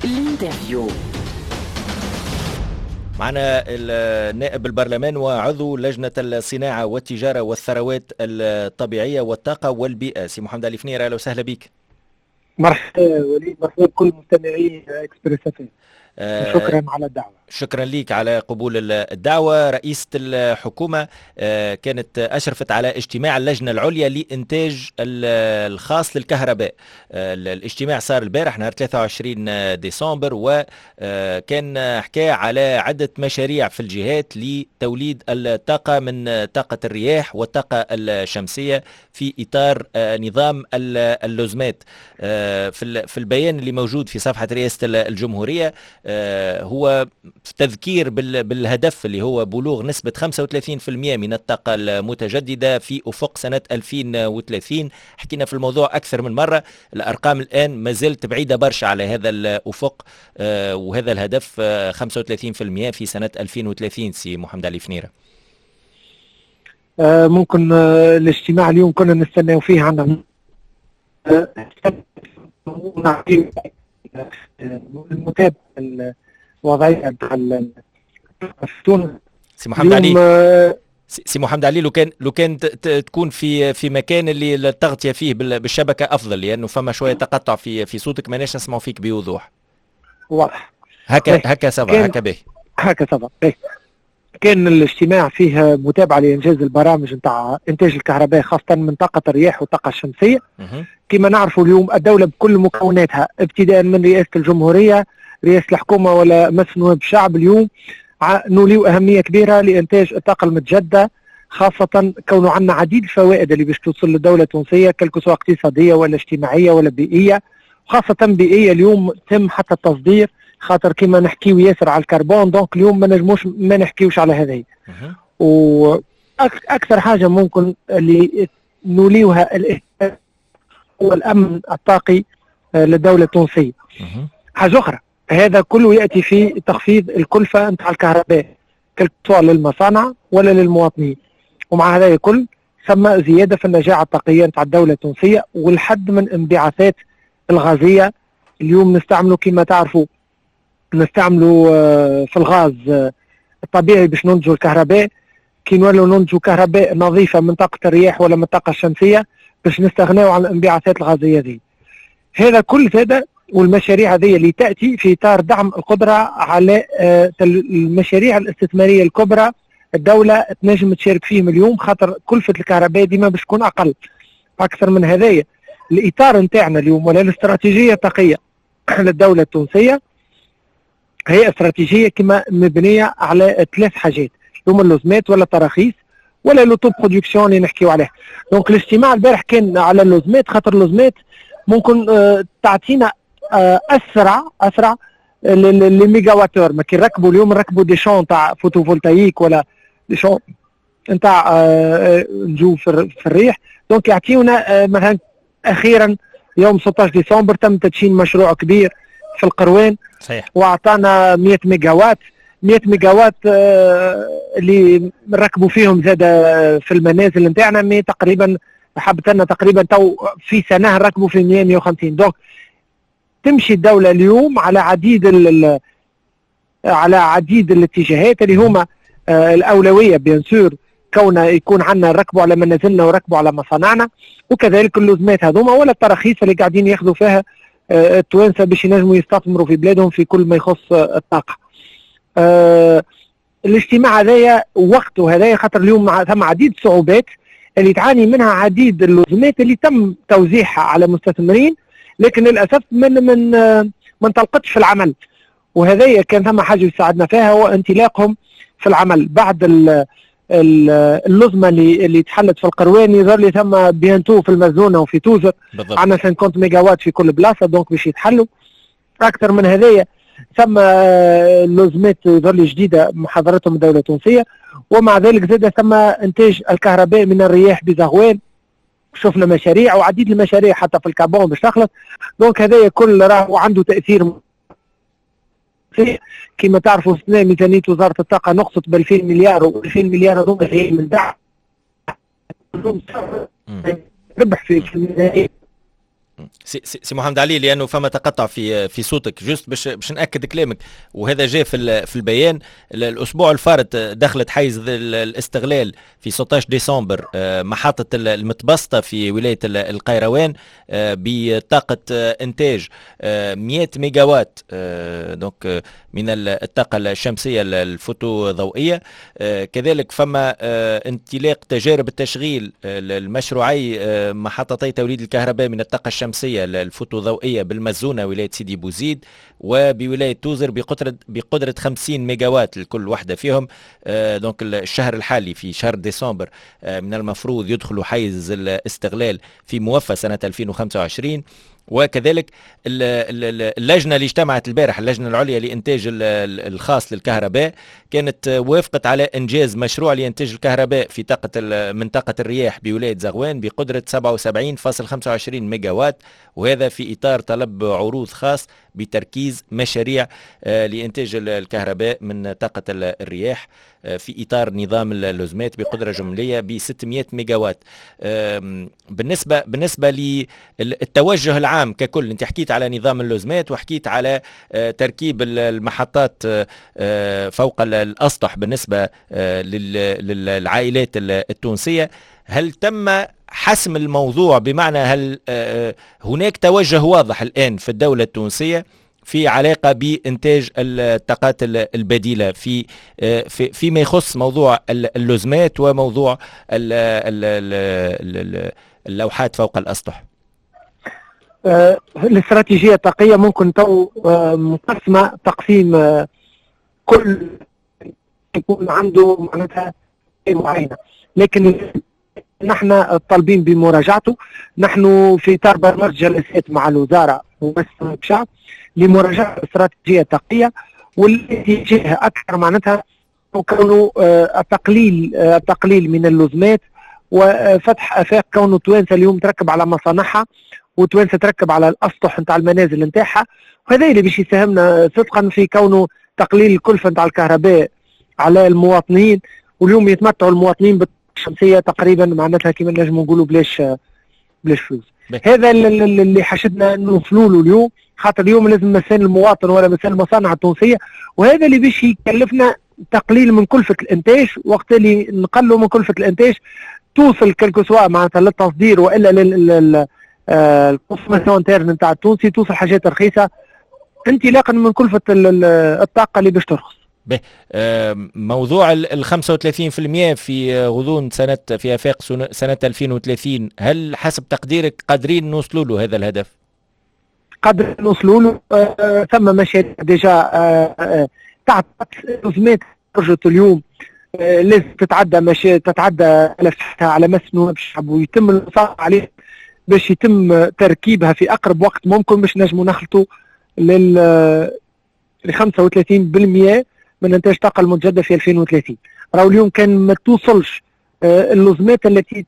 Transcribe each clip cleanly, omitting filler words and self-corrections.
L'interview. معنا النائب البرلمان وعضو لجنة الصناعة والتجارة والثروات الطبيعية والطاقة والبيئة سي محمد علي فنير، أهلا وسهلا بك. مرحبا وليد، مرحبا بكل مستمعي اكسبريس اف. شكرا على الدعوة. شكرا لك على قبول الدعوة. رئيسة الحكومة كانت أشرفت على اجتماع اللجنة العليا لإنتاج الخاص للكهرباء. الاجتماع صار البارح نهار 23 ديسمبر، وكان حكى على عدة مشاريع في الجهات لتوليد الطاقة من طاقة الرياح والطاقة الشمسية في إطار نظام اللزمات. في البيان اللي موجود في صفحة رئاسة الجمهورية هو تذكير بالهدف اللي هو بلوغ نسبة 35% من الطاقة المتجددة في أفق سنة 2030. حكينا في الموضوع أكثر من مرة، الأرقام الآن ما زالت بعيدة برشا على هذا الأفق وهذا الهدف 35% في سنة 2030. سي محمد علي فنيرة. ممكن الاجتماع اليوم كنا نستناو فيه، عندنا المتابعة الوضعية نتاع تونس. سي محمد علي، سي محمد علي، لو كان تكون في مكان اللي التغطية فيه بالشبكه افضل، لانه فما شوية تقطع في صوتك، ماناش نسمعوا فيك بوضوح. واضح. هكا هكا ça va، هكا باهي. هكا ça va. كان الاجتماع فيه متابعه لانجاز البرامج نتاع انتاج الكهرباء، خاصة من طاقة الرياح والطاقة الشمسية. كما نعرفوا اليوم الدولة بكل مكوناتها، ابتداء من رئاسة الجمهوريه، رئاسة الحكومه، ولا مجلس نواب الشعب، اليوم نوليو اهمية كبيرة لانتاج الطاقة المتجدده، خاصة كونه عندنا عديد الفوائد اللي باش توصل للدولة التونسية، quel que soit اقتصادية ولا اجتماعية ولا بيئية، خاصة بيئية. اليوم تم حتى التصدير، خاطر كما نحكيو ياسر على الكربون، donc اليوم ما نجموش ما نحكيوش على هذه. واكثر حاجة ممكن اللي نوليوها هو الامن الطاقي للدولة التونسيه. حاجة اخرى، هذا كله ياتي في تخفيض الكلفة نتاع الكهرباء، سواء للمصانع ولا للمواطنين، ومع هذا الكل ثم زيادة في النجاعه الطاقية نتاع الدولة التونسية والحد من انبعاثات الغازيه. اليوم نستعملوا كما تعرفوا نستعملوا في الغاز الطبيعي باش ننتجوا الكهرباء. كي نولوا ننتجوا كهرباء نظيفة من طاقة الرياح ولا من الطاقة الشمسية باش نستغناو عن الانبعاثات الغازية ذي. هذا كل هذا والمشاريع هذه اللي تاتي في اطار دعم القدرة على المشاريع الاستثمارية الكبرى، الدولة تنجم تشارك فيهم اليوم، خاطر كلفه الكهرباء ديما باش تكون اقل. اكثر من هذايا، الاطار نتاعنا اليوم ولا الاستراتيجية الطاقية للدولة التونسية هي استراتيجية كما مبنية على ثلاث حاجات هما اللزمات ولا التراخيص ولا l'autoproduction اللي نحكيو عليها. donc الاجتماع البارح كان على اللزمات، خاطر اللزمات ممكن تعطينا اسرع les mégawattheures. ما كي نركبوا اليوم نركبوا des champs تاع photovoltaïque ولا des champs نتاع نجو في الريح، donc يعطيونا مثلا اخيرا يوم 16 ديسمبر تم تدشين مشروع كبير في القروان واعطانا 100 ميجا وات، 100 ميجا وات اللي نركبوا فيهم زاد في المنازل نتاعنا، mais تقريبا حبت لنا تقريبا تو في سنة نركبوا في 100 150. donc تمشي الدولة اليوم على عديد الاتجاهات اللي هما الاولوية bien sûr كون يكون عندنا نركبوا على منازلنا وركبوا على مصانعنا، وكذلك اللزمات هذوما ولا التراخيص اللي قاعدين ياخذوا فيها التوانسة باش ينجموا يستثمروا في بلادهم في كل ما يخص الطاقة. الاجتماع هذايا وقته هذايا، خاطر اليوم ثم عديد الصعوبات اللي تعاني منها عديد اللزمات اللي تم توزيعها على مستثمرين، لكن للاسف من ما انطلقتش في العمل. وهذايا كان ثم حاجة يساعدنا فيها هو انطلاقهم في العمل بعد اللزمه اللي تحلت في القروان. يظهر لي ثم bientôt في المزونه وفي توزر عندنا 50 ميجا وات في كل بلاصه، donc باش يتحلوا. اكثر من هذايا، ثم لزمات يظهر لي جديدة محاضرتهم الدولة التونسيه، ومع ذلك زاد ثم انتاج الكهرباء من الرياح بزغوان، شفنا مشاريع وعديد المشاريع حتى في الكابون باش تخلص. donc هذايا كل راهو عنده تاثير. كما تعرفوا السنة ميزانية وزارة الطاقة نقصت ب 2000 مليار، و 2000 مليار هذوما جايين من دعم ربح في الميزانيه. سي محمد علي، لانه فما تقطع في صوتك، juste باش ناكد كلامك، وهذا جاء في البيان، الاسبوع الفارط دخلت حيز الاستغلال في 16 ديسمبر محطة المتبسطه في ولاية القيروان بطاقة انتاج 100 ميجاوات donc من الطاقة الشمسية الفوتوضوئيه. كذلك فما انطلاق تجارب التشغيل المشروعي محطتي توليد الكهرباء من الطاقة الشمسية الفوتوضوئية بالمزونة ولاية سيدي بوزيد وبولاية توزر بقدرة 50 ميجاوات لكل واحدة فيهم. donc الشهر الحالي في شهر ديسمبر من المفروض يدخلوا حيز الاستغلال في موفى سنة 2025. وكذلك اللجنة اللي اجتمعت البارح، اللجنة العليا لإنتاج الخاص للكهرباء، كانت وافقت على إنجاز مشروع لإنتاج الكهرباء في طاقة من طاقة الرياح بولاية زغوان بقدرة 77.25 ميجاوات، وهذا في إطار طلب عروض خاص بتركيز مشاريع لإنتاج الكهرباء من طاقة الرياح في إطار نظام اللزمات بقدرة جملية ب 600 ميجاوات. بالنسبة للتوجه العام ككل، أنت حكيت على نظام اللزمات وحكيت على تركيب المحطات فوق الأسطح بالنسبة للعائلات التونسية، هل تم حسم الموضوع؟ بمعنى هل هناك توجه واضح الآن في الدولة التونسية في علاقة بإنتاج الطاقات البديلة فيما يخص موضوع اللزمات وموضوع اللوحات فوق الأسطح؟ الاستراتيجية الطاقية ممكن تو مقسمة تقسيم، كل يكون عنده معناتها معينة، لكن نحن طالبين بمراجعته. نحن في إطار برنامج جلسات مع الوزارة ومجلس الشعب لمراجعة الاستراتيجية الطاقية، والاتجاه أكثر معناتها كونه التقليل من اللزمات وفتح آفاق، كونه توانسة اليوم تركب على مصانعها وتوانسة تركب على الأسطح نتاع المنازل نتاعها، وهذا اللي باش يساهمنا صدقا في كونه تقليل الكلفة نتاع الكهرباء على المواطنين. واليوم يتمتعوا المواطنين بالشمسية تقريبا معناتها كما نجموا نقولوا بلاش فلوس. هذا اللي حشدنا نوصلوا له اليوم، خاطر اليوم لازم مسان المواطن ولا مسان المصانع التونسية، وهذا اللي باش يكلفنا تقليل من كلفة الإنتاج. وقت اللي نقلوا من كلفة الإنتاج توصل quel que soit معناتها للتصدير والا لل consommation interne نتاع التونسي، توصل حاجات رخيصة انطلاقا من كلفة الطاقة اللي باش ترخص. موضوع ال 35% في غضون سنة في آفاق سنة 2030، هل حسب تقديرك قادرين نوصلوا له هذا الهدف؟ قادرين نوصلوا له. ثم مشاريع déjà تعطت رزمات خرجت اليوم، لازم تتعدى تتعدى ملفاتها على مس نواب الشعب ويتم المصادقة عليه باش يتم تركيبها في اقرب وقت ممكن باش نجموا نخلطوا لل 35% من انتاج الطاقة المتجددة في 2030. راهو اليوم كان ما توصلش اللزمات التي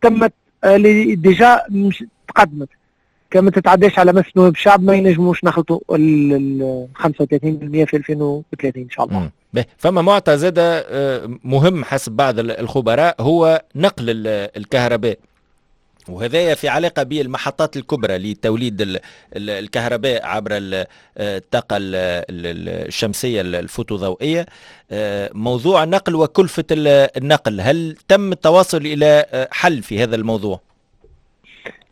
تمت اللي déjà تقدمت، كان ما تتعداش على مس نواب الشعب ما ينجموش نخلطوا ال 35% في 2030 ان شاء الله. فما معطى زاد مهم حسب بعض الخبراء هو نقل الكهرباء، وهذا في علاقة بالمحطات الكبرى لتوليد الكهرباء عبر الطاقة الشمسية الفوتوضوئية. موضوع النقل وكلفة النقل، هل تم التواصل إلى حل في هذا الموضوع؟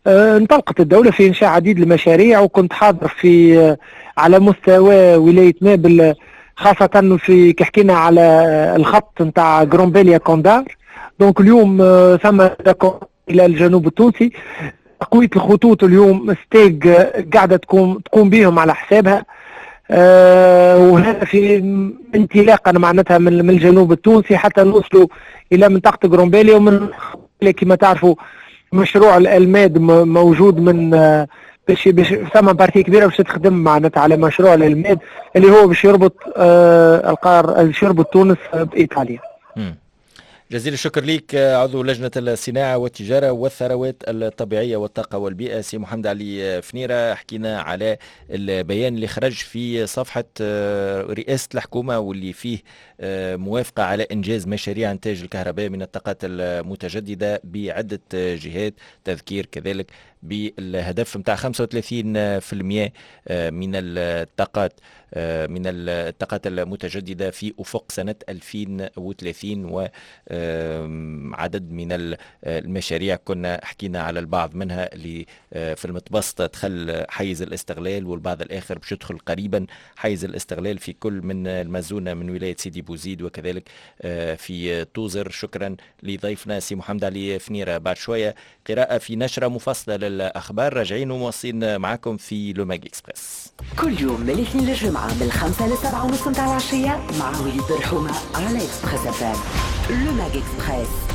انطلقت الدولة في إنشاء عديد المشاريع، وكنت حاضر في على مستوى ولاية نابل، خاصة في كي حكينا على الخط نتاع غرومبيليا كوندار. donc اليوم ثم الى الجنوب التونسي تقوية الخطوط اليوم STEG قاعدة تقوم بهم على حسابها، وهذا في انطلاقا معناتها من الجنوب التونسي حتى نوصلوا الى منطقة غرومبيليا. ومن كما تعرفوا مشروع الالماد موجود من باش ثم partie كبيرة باش تخدم معناتها على مشروع الالماد اللي هو باش يربط القار باش يربط تونس بايطاليا. جزيل الشكر لك عضو لجنة الصناعة والتجارة والثروات الطبيعية والطاقة والبيئة سي محمد علي فنيرة. حكينا على البيان اللي خرج في صفحة رئاسة الحكومة واللي فيه موافقة على إنجاز مشاريع إنتاج الكهرباء من الطاقات المتجددة بعدة جهات، تذكير كذلك بالهدف نتاع 35% من الطاقات المتجددة في أفق سنة 2030، وعدد من المشاريع كنا حكينا على البعض منها اللي في المتبسطة دخل حيز الاستغلال، والبعض الآخر باش يدخل قريبا حيز الاستغلال في كل من المزونة من ولاية سيدي بوزيد وكذلك في توزر. شكرا لضيفنا سي محمد علي فنيرة. بعد شوية قراءة في نشرة مفصلة للأخبار، راجعين ومواصلين معكم في Le Mag Express. كل يوم من الاثنين للجمعة من 5 ل7:30 متاع العشية مع وليد برحومة على Express FM، Le Mag Express.